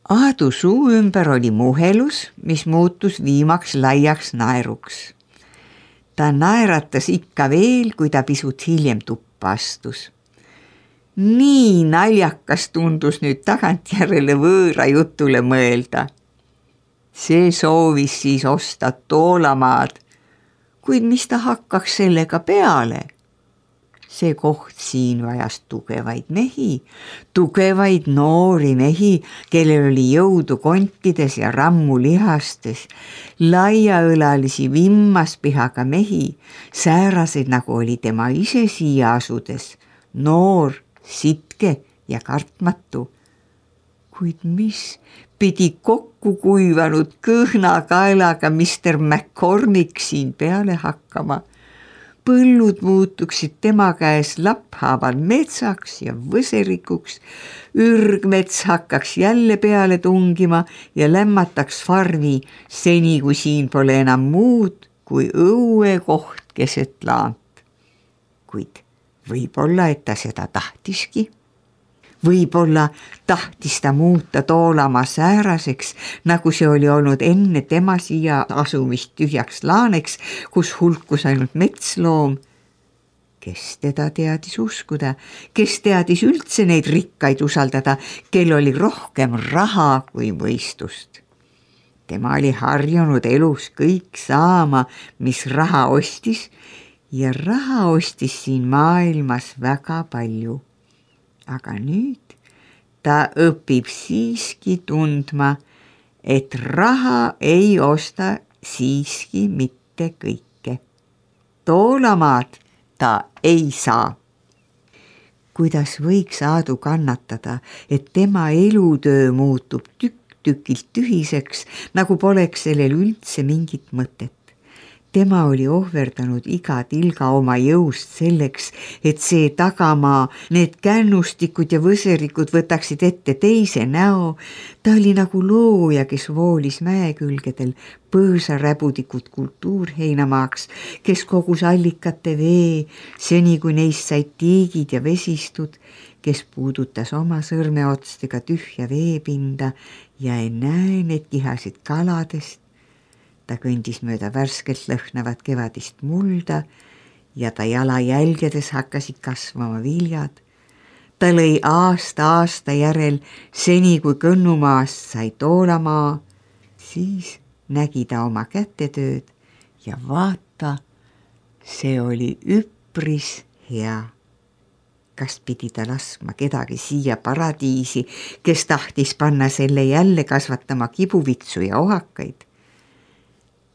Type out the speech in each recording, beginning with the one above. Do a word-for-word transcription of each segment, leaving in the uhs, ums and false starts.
Aadu suu ümber oli muhelus, mis muutus viimaks laiaks naeruks. Ta naeratas ikka veel, kui ta pisut hiljem tuppa astus. Nii naljakas tundus nüüd tagantjärele võõra jutule mõelda. See soovis siis osta toolamaad, kuid mis ta hakkaks sellega peale? See koht siin vajas tugevaid mehi, tugevaid noori mehi, kellel oli jõudu kontides ja rammu lihastes, laiaõlalisi vimmaspihaga mehi, sääraseid nagu oli tema ise siia asudes, noor, sitke ja kartmatu. Kuid mis pidi kokku kuivanud kõhna kaelaga mister McCormick siin peale hakkama? Põllud muutuksid tema käes lapphaaval metsaks ja võserikuks, ürgmets hakkaks jälle peale tungima ja lämmataks farmi seni, kui siin pole enam muud kui õue koht keset laant. Kuid võib-olla, et ta seda tahtiski. Võib-olla tahtis ta muuta toolama sääraseks, nagu see oli olnud enne tema siia asumist tühjaks laaneks, kus hulkus ainult metsloom. Kes teda teadis uskuda, kes teadis üldse neid rikkaid usaldada, kel oli rohkem raha kui mõistust. Tema oli harjunud elus kõik saama, mis raha ostis, ja raha ostis siin maailmas väga palju. Aga nüüd ta õpib siiski tundma, et raha ei osta siiski mitte kõike. Toolamaad ta ei saa. Kuidas võiks Aadu kannatada, et tema elutöö muutub tükk-tükilt tühiseks, nagu poleks sellel üldse mingit mõtet. Tema oli ohverdanud iga tilga oma jõust selleks, et see tagamaa, need kännustikud ja võserikud võtaksid ette teise näo. Ta oli nagu looja, kes voolis mäekülgedel põõsaräbudikud kultuurheinamaaks, kes kogus allikate vee, seni kui neist said tiigid ja vesistud, kes puudutas oma sõrmeotstega tühja veepinda ja ei näe need kihasid kaladest. Ta kõndis mööda värskelt lõhnavat kevadist mulda ja ta jalajälgedes hakkasid kasvama viljad. Ta lõi aasta aasta järel, seni kui Kõnnumaast sai toolamaa, siis nägi ta oma kätetööd ja vaata, see oli üpris hea. Kas pidi ta laskma kedagi siia paradiisi, kes tahtis panna selle jälle kasvatama kibuvitsu ja ohakaid?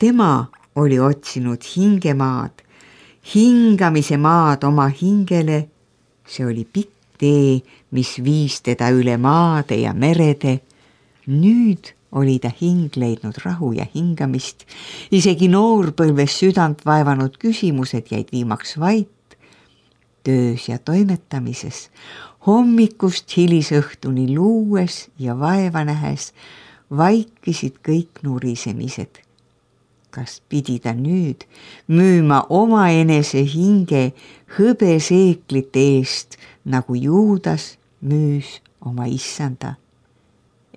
Tema oli otsinud hingemaad, hingamise maad oma hingele. See oli pikk tee, mis viis teda üle maade ja merede. Nüüd oli ta hing leidnud rahu ja hingamist. Isegi noorpõlves südant vaevanud küsimused jäid viimaks vait. Töös ja toimetamises, hommikust hilisõhtuni luues ja vaeva nähes vaikisid kõik nurisemised. Kas pidi ta nüüd müüma oma enese hinge hõbeseeklite eest, nagu Juudas müüs oma issanda?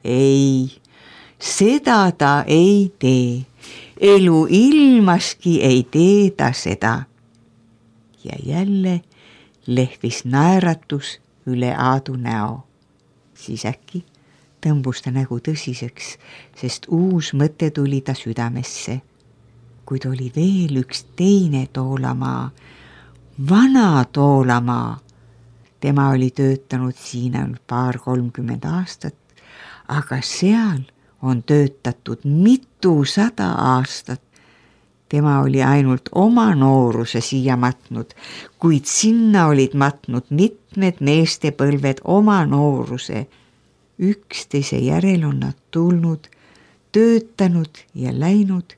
Ei, seda ta ei tee. Elu ilmaski ei tee ta seda. Ja jälle lehvis naeratus üle Aadu näo. Siis äkki tõmbus ta nägu tõsiseks, sest uus mõte tuli ta südamesse. Kuid oli veel üks teine toolamaa, vana toolamaa. Tema oli töötanud siin ainult paar kolmkümmend aastat, aga seal on töötatud mitusada aastat. Tema oli ainult oma nooruse siia matnud, kuid sinna olid matnud mitmed meestepõlved oma nooruse. Üksteise järel on nad tulnud, töötanud ja läinud.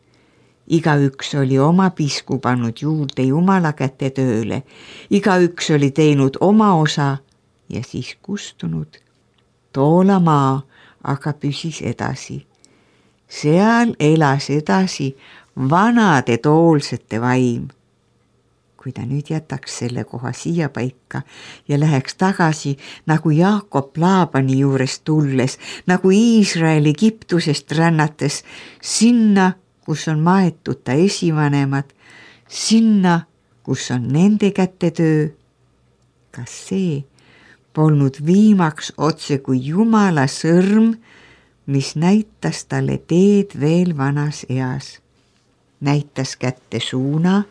Igaüks oli oma pisku pannud juurde Jumala käte tööle. Igaüks oli teinud oma osa ja siis kustunud. Toolamaa aga püsis edasi. Seal elas edasi vanade toolsete vaim. kui ta nüüd jätaks selle koha siia paika ja läheks tagasi nagu Jaakob Laabani juurest tulles, nagu Iisraeli Egiptusest rännates, sinna, kus on maetud ta esivanemad, sinna, kus on nende käte töö. Kas see polnud viimaks otse kui Jumala sõrm, mis näitas talle teed veel vanas eas? Näitas kätte suuna,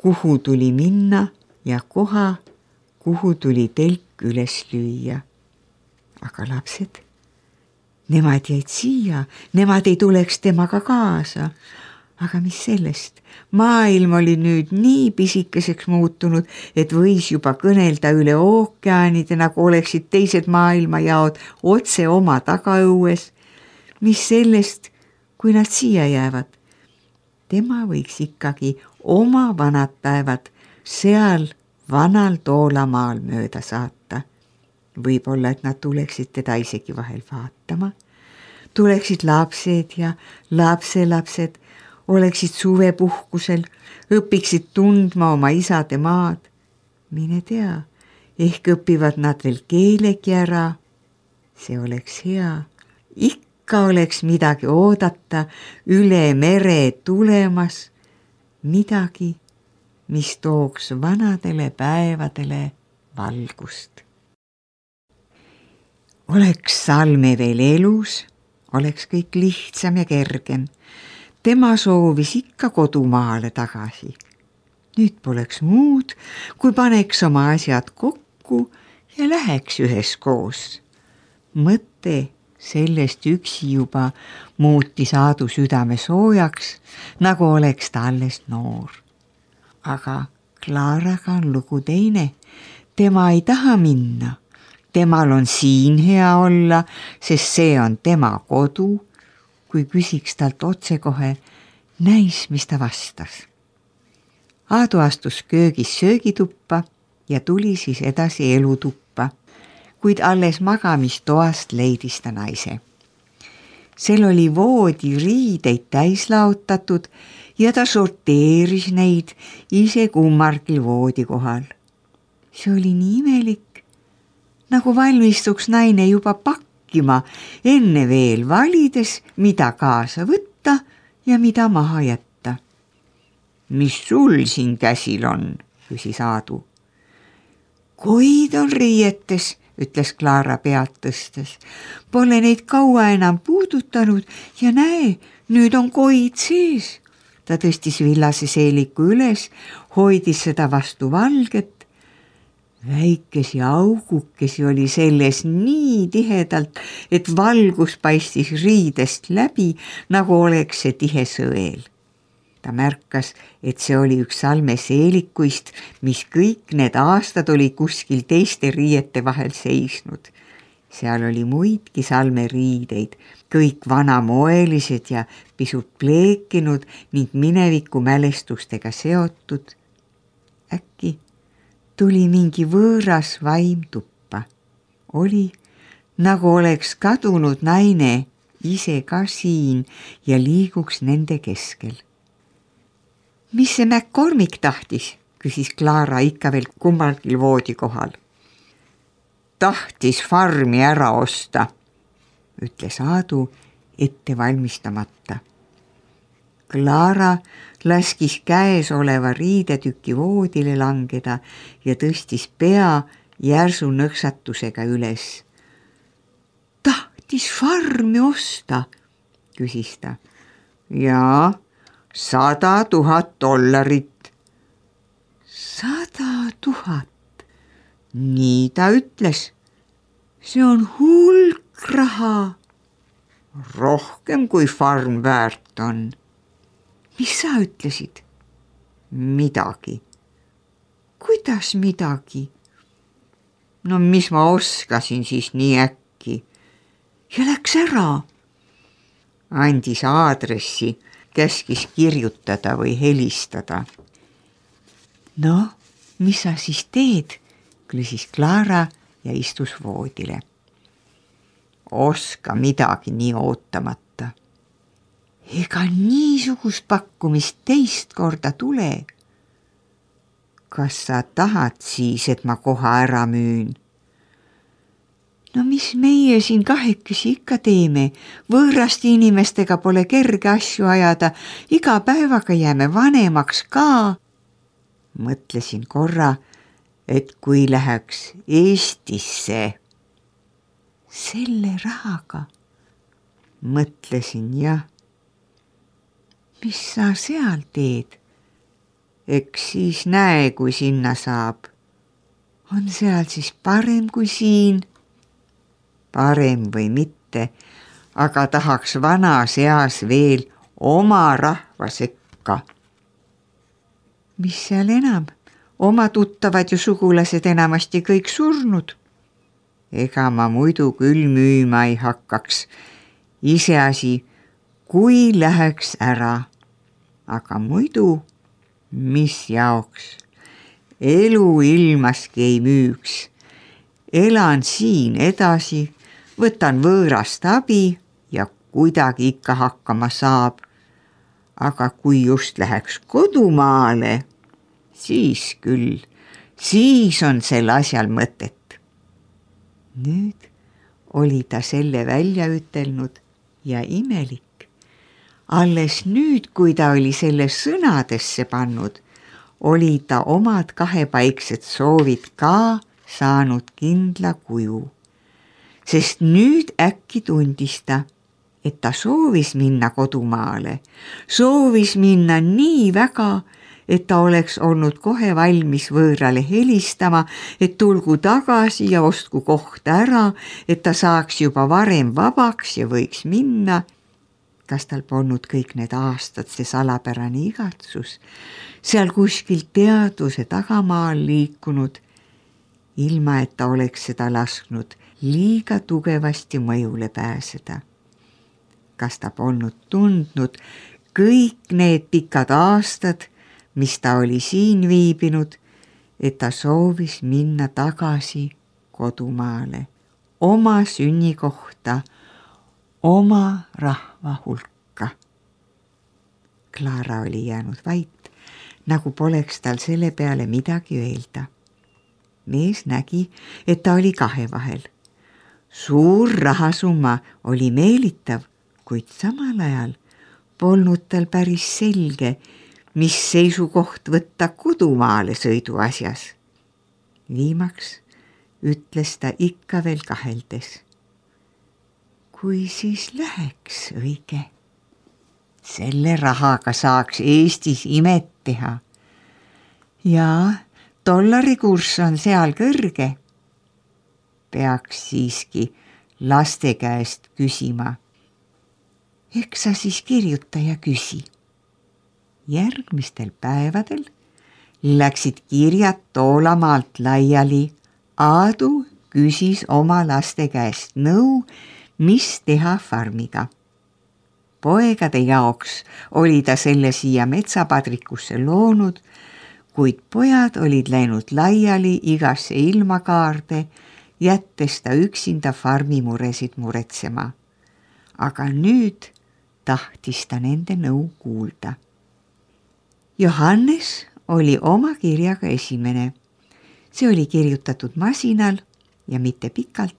kuhu tuli minna ja koha, kuhu tuli telk üles lüüa. Aga lapsed, nemad jäid siia, nemad ei tuleks temaga kaasa. Aga mis sellest? Maailm oli nüüd nii pisikeseks muutunud, et võis juba kõnelda üle ookeanide, nagu oleksid teised maailmajaod otse oma tagaõues. Mis sellest, kui nad siia jäävad? Tema võiks ikkagi oma vanad päevad seal vanal Toolamaal mööda saata. Võib-olla, et nad tuleksid teda isegi vahel vaatama. Tuleksid lapsed ja lapselapsed, oleksid suvepuhkusel, õpiksid tundma oma isade maad. Mine tea, ehk õpivad nad veel keelegi ära. See oleks hea. Ikka oleks midagi oodata üle mere tulemas, midagi, mis tooks vanadele päevadele valgust. Oleks Salme veel elus, oleks kõik lihtsam ja kergem. Tema soovis ikka kodumaale tagasi. Nüüd poleks muud, kui paneks oma asjad kokku ja läheks üheskoos. Mõte sellest üksi juba muutis Aadu südame soojaks, nagu oleks ta alles noor. Aga Klaaraga on lugu teine. Tema ei taha minna. Temal on siin hea olla, sest see on tema kodu. Kui küsiks talt otsekohe, näis, mis ta vastas. Aadu astus köögis söögituppa ja tuli siis edasi elutuppa, kuid alles magamistoast leidis ta naise. Sel oli voodi riideid täis laotatud ja ta sorteeris neid ise kummargil voodi kohal. See oli nii imelik, nagu valmistuks naine juba pakkima, enne veel valides, mida kaasa võtta ja mida maha jätta. Mis sul siin käsil on, küsis Aadu. Koid on riietes, ütles Klaara pead tõstes. Pole neid kaua enam puudutanud ja näe, nüüd on koid sees. Ta tõstis villase seeliku üles, hoidis seda vastu valget. Väikesi augukesi oli selles nii tihedalt, et valgus paistis riidest läbi, nagu oleks see tihe sõel. Ta märkas, et see oli üks Salme seelikuist, mis kõik need aastad oli kuskil teiste riiete vahel seisnud. Seal oli muidki Salme riideid, kõik vanamoelised ja pisut pleekinud ning mineviku mälestustega seotud. Äkki tuli mingi võõras vaim tuppa. Oli, nagu oleks kadunud naine ise ka siin ja liiguks nende keskel. Mis see McCormick tahtis, küsis Klaara ikka veel kummalgil voodi kohal. Tahtis farmi ära osta, ütles Aadu ette valmistamata. Klaara laskis käes oleva riidetüki voodile langeda ja tõstis pea järsu nõksatusega üles. Tahtis farmi osta, küsis ta. Jaa, sada tuhat dollarit. Sada tuhat. Nii ta ütles. See on hulk raha. Rohkem kui farm väärt on. Mis sa ütlesid? Midagi. Kuidas midagi? No mis ma oskasin siis nii äkki? Ja läks ära. Andis aadressi, käskis kirjutada või helistada. No, mis sa siis teed? Küsis Klaara ja istus voodile. Oska midagi nii ootamata. Ega niisugust pakkumist teist korda tule. kas sa tahad siis, et ma koha ära müün? No mis meie siin kahekesi ikka teeme? Võõraste inimestega pole kerge asju ajada, iga päevaga jääme vanemaks ka. Mõtlesin korra, et kui läheks Eestisse selle rahaga, mõtlesin jah, mis sa seal teed? Eks siis näe, kui sinna saab. On seal siis parem kui siin? Parem või mitte, aga tahaks vanas eas veel oma rahva sekka. Mis seal enam? Oma tuttavad ja sugulased enamasti kõik surnud. Ega ma muidu küll müüma ei hakkaks. Iseasi, kui läheks ära. Aga muidu, mis jaoks? Elu ilmaski ei müüks. Elan siin edasi, võtan võõrast abi ja kuidagi ikka hakkama saab. Aga kui just läheks kodumaale, siis küll, siis on sel asjal mõtet. Nüüd oli ta selle välja ütelnud ja imelik. Alles nüüd, kui ta oli selle sõnadesse pannud, oli ta omad kahepaiksed soovid ka saanud kindla kuju. Sest nüüd äkki tundis ta, et ta soovis minna kodumaale, soovis minna nii väga, et ta oleks olnud kohe valmis võõrale helistama, et tulgu tagasi ja ostku koht ära, et ta saaks juba varem vabaks ja võiks minna. Kas tal polnud kõik need aastad see salapärane igatsus, seal kuskil teaduse tagamaal liikunud, ilma et ta oleks seda lasknud liiga tugevasti mõjule pääseda. Kas ta polnud tundnud kõik need pikad aastad, mis ta oli siin viibinud, et ta soovis minna tagasi kodumaale, oma sünnikohta, oma rahva hulka. Klaara oli jäänud vait, nagu poleks tal selle peale midagi öelda. Mees nägi, et ta oli kahe vahel. Suur rahasumma oli meelitav, kuid samal ajal polnud tal päris selge, mis seisukoht võtta kodumaale sõidu asjas. Viimaks ütles ta ikka veel kaheldes. Kui siis läheks õige? Selle rahaga saaks Eestis imet teha. Ja dollari kurss on seal kõrge. Peaks siiski laste käest küsima. Eks sa siis kirjuta ja küsi. Järgmistel päevadel läksid kirjad Toolamaalt laiali. Aadu küsis oma laste käest nõu, mis teha farmiga. Poegade jaoks oli ta selle siia metsapadrikusse loonud, kuid pojad olid läinud laiali igasse ilmakaarde, jättes ta üksinda farmi muresid muretsema. Aga nüüd tahtis ta nende nõu kuulda. Johannes oli oma kirjaga esimene. See oli kirjutatud masinal ja mitte pikalt.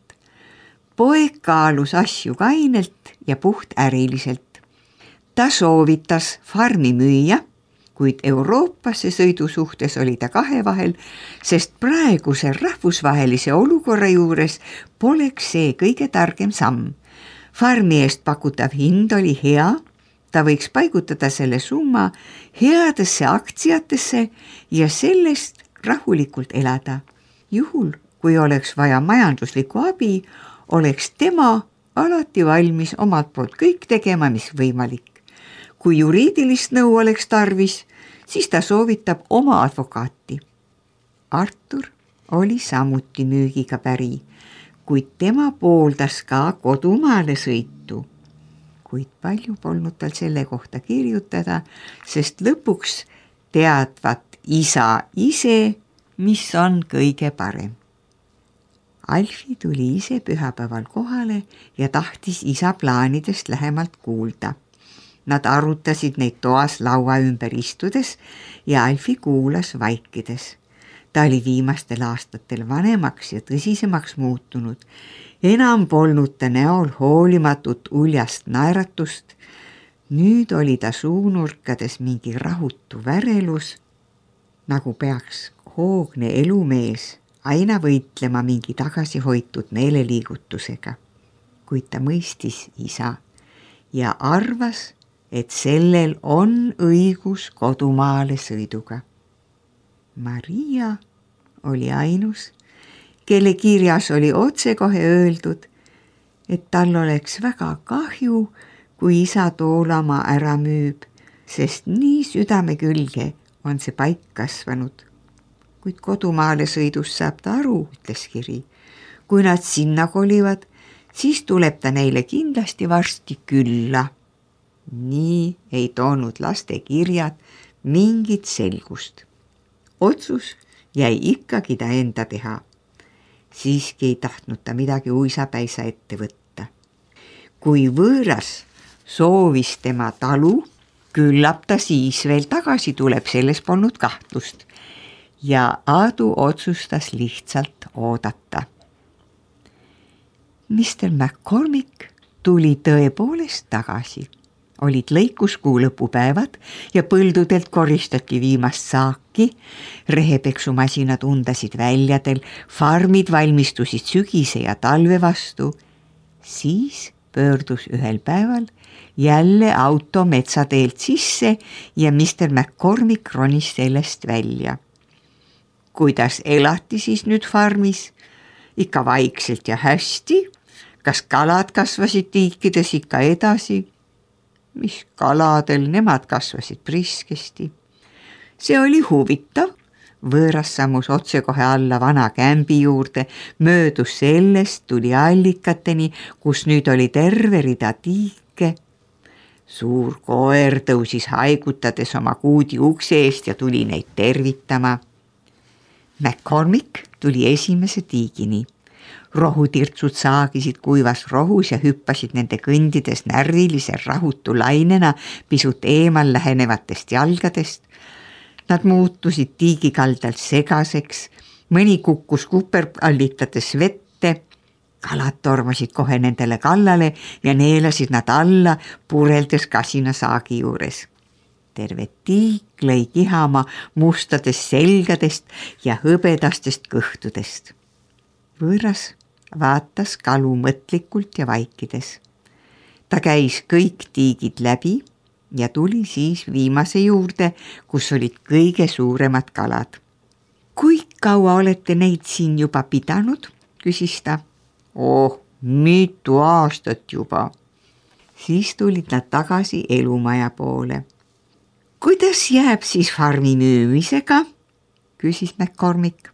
Poeg kaalus asju kainelt ja puht äriliselt. Ta soovitas farmi müüa, kuid Euroopasse sõidu suhtes oli ta kahe vahel, sest praeguse rahvusvahelise olukorra juures poleks see kõige targem samm. Farmi eest pakutav hind oli hea, ta võiks paigutada selle summa headesse aktsiatesse ja sellest rahulikult elada. Juhul, kui oleks vaja majanduslikku abi, oleks tema alati valmis omalt poolt kõik tegema, mis võimalik. Kui juriidilist nõu oleks tarvis, siis ta soovitab oma advokaati. Artur oli samuti müügiga päri, kuid tema pooldas ka kodumaale sõitu. Kuid palju polnud tal selle kohta kirjutada, sest lõpuks teadvat isa ise, mis on kõige parem. Alfi tuli ise pühapäeval kohale ja tahtis isa plaanidest lähemalt kuulda. Nad arutasid neid toas laua ümber istudes ja Alfi kuulas vaikides. Ta oli viimastel aastatel vanemaks ja tõsisemaks muutunud. Enam polnud ta näol hoolimatut uljast naeratust. Nüüd oli ta suunurkades mingi rahutu värelus, nagu peaks hoogne elumees aina võitlema mingi tagasihoitud meeleliigutusega. Kuid ta mõistis isa ja arvas, et sellel on õigus kodumaale sõiduga. Maria oli ainus, kelle kirjas oli otsekohe öeldud, et tal oleks väga kahju, kui isa Toolamaa ära müüb, sest nii südame külge on see paik kasvanud. Kuid kodumaale sõidus saab ta aru, ütles kiri. Kui nad sinna kolivad, siis tuleb ta neile kindlasti varsti külla. Nii ei toonud laste kirjad mingit selgust. Otsus jäi ikkagi ta enda teha. Siiski ei tahtnud ta midagi uisapäisa ette võtta. Kui võõras soovis tema talu, küllap ta siis veel tagasi tuleb, selles polnud kahtlust. Ja Aadu otsustas lihtsalt oodata. mister McCormick tuli tõepoolest tagasi. Olid lõikuskuu lõpupäevad ja põldudelt koristati viimast saaki, rehepeksumasinad undasid väljadel, farmid valmistusid sügise ja talve vastu. Siis pöördus ühel päeval jälle auto metsateelt sisse ja mister McCormick ronis sellest välja. Kuidas elati siis nüüd farmis? Ikka vaikselt ja hästi. Kas kalad kasvasid tiikides ikka edasi? Mis kaladel, nemad kasvasid priskesti. See oli huvitav. Võõras sammus otsekohe alla vana kämbi juurde, möödus sellest, tuli allikateni, kus nüüd oli terve rida tiike. Suur koer tõusis haigutades oma kuudi ukse eest ja tuli neid tervitama. McCormick tuli esimese tiigini. Rohutirtsud saagisid kuivas rohus ja hüppasid nende kõndides närvilise rahutu lainena pisut eemal lähenevatest jalgadest. Nad muutusid tiigikaldalt segaseks, mõni kukkus kuperallitades vette, kalad tormasid kohe nendele kallale ja neelasid nad alla, pureldes kasina saagi juures. Terve tiik lõi kihama mustadest selgadest ja hõbedastest kõhtudest. Võõras vaatas kalu mõtlikult ja vaikides. Ta käis kõik tiigid läbi ja tuli siis viimase juurde, kus olid kõige suuremad kalad. Kui kaua olete neid siin juba pidanud, küsis ta. Oh, mitu aastat juba. Siis tulid nad tagasi elumaja poole. Kuidas jääb siis farmi müümisega, küsis McCormick.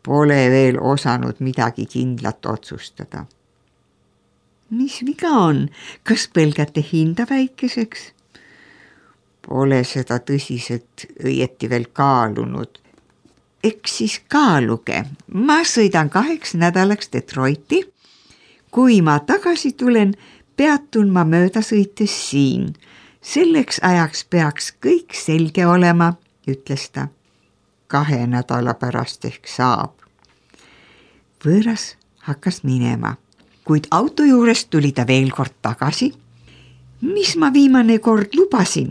Pole veel osanud midagi kindlat otsustada. Mis viga on? Kas pelgate hinda väikeseks? Pole seda tõsiselt õieti veel kaalunud. Eks siis kaaluge. Ma sõidan kaheks nädalaks Detroiti. Kui ma tagasi tulen, peatun ma mööda sõites siin. Selleks ajaks peaks kõik selge olema, ütles ta. Kahe nädala pärast ehk saab. Võõras hakkas minema, kuid auto juurest tuli ta veel kord tagasi. Mis ma viimane kord lubasin,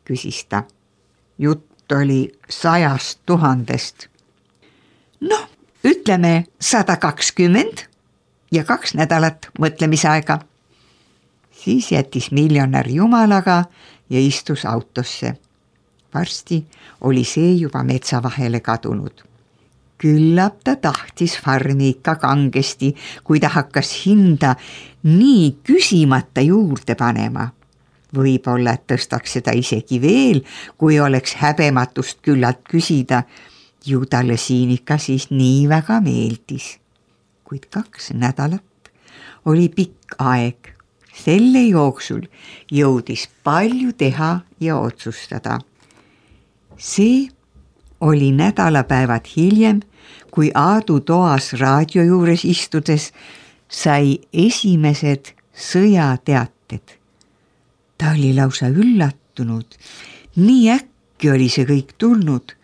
küsis ta. Jutt oli sajast tuhandest. Noh, ütleme sada kakskümmend ja kaks nädalat mõtlemisaega. Siis jättis miljonär jumalaga ja istus autosse. Varsti oli see juba metsa vahele kadunud. Küllap ta tahtis farmi ikka kangesti, kui ta hakkas hinda nii küsimata juurde panema. Võib-olla tõstaks seda isegi veel, kui oleks häbematust küllalt küsida. Ju talle siin ikka siis nii väga meeldis. Kuid kaks nädalat oli pikk aeg. Selle jooksul jõudis palju teha ja otsustada. See oli nädalapäevad hiljem, kui Aadu toas raadio juures istudes sai esimesed sõjateated. Ta oli lausa üllatunud. Nii äkki oli see kõik tulnud.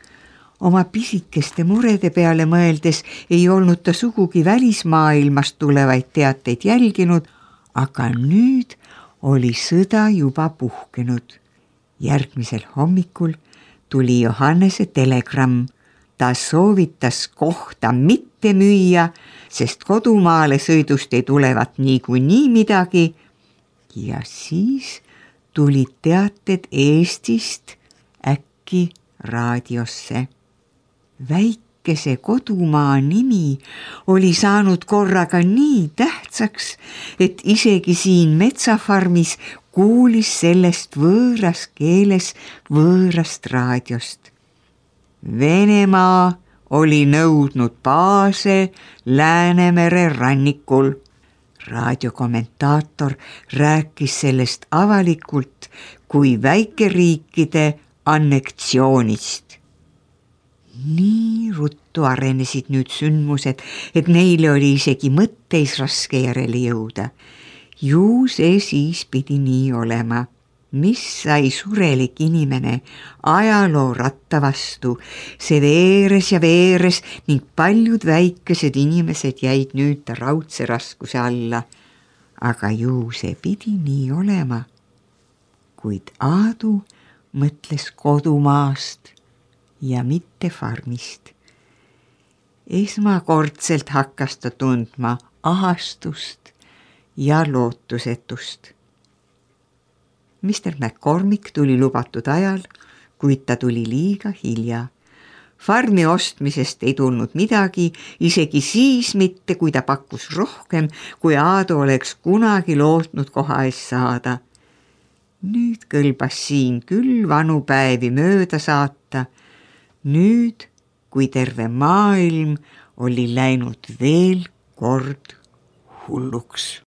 Oma pisikeste murede peale mõeldes ei olnud ta sugugi välismaailmast tulevaid teateid jälginud, aga nüüd oli sõda juba puhkenud. Järgmisel hommikul tuli Johannese telegramm. Ta soovitas kohta mitte müüa, sest kodumaale sõidust ei tulevat niikuinii midagi. Ja siis tulid teated Eestist äkki raadiosse. Väikese kodumaa nimi oli saanud korraga nii tähtsaks, et isegi siin metsafarmis kuulis sellest võõras keeles võõrast raadiost. Venemaa oli nõudnud baase Läänemere rannikul. Raadiokommentaator rääkis sellest avalikult kui väikeriikide annektsioonist. Nii ruttu arenesid nüüd sündmused, et neile oli isegi mõtteis raske järele jõuda. Ju see siis pidi nii olema. Mis sai surelik inimene ajaloo ratta vastu, see veeres ja veeres ning paljud väikesed inimesed jäid nüüd ta raudse raskuse alla. Aga ju see pidi nii olema. Kuid Aadu mõtles kodumaast ja mitte farmist. Esmakordselt hakkas ta tundma ahastust ja lootusetust. mister McCormick tuli lubatud ajal, kuid ta tuli liiga hilja. Farmi ostmisest ei tulnud midagi, isegi siis mitte, kui ta pakkus rohkem, kui Aadu oleks kunagi lootnud koha eest saada. Nüüd kõlbas siin küll vanu päevi mööda saata. Nüüd, kui terve maailm oli läinud veel kord hulluks.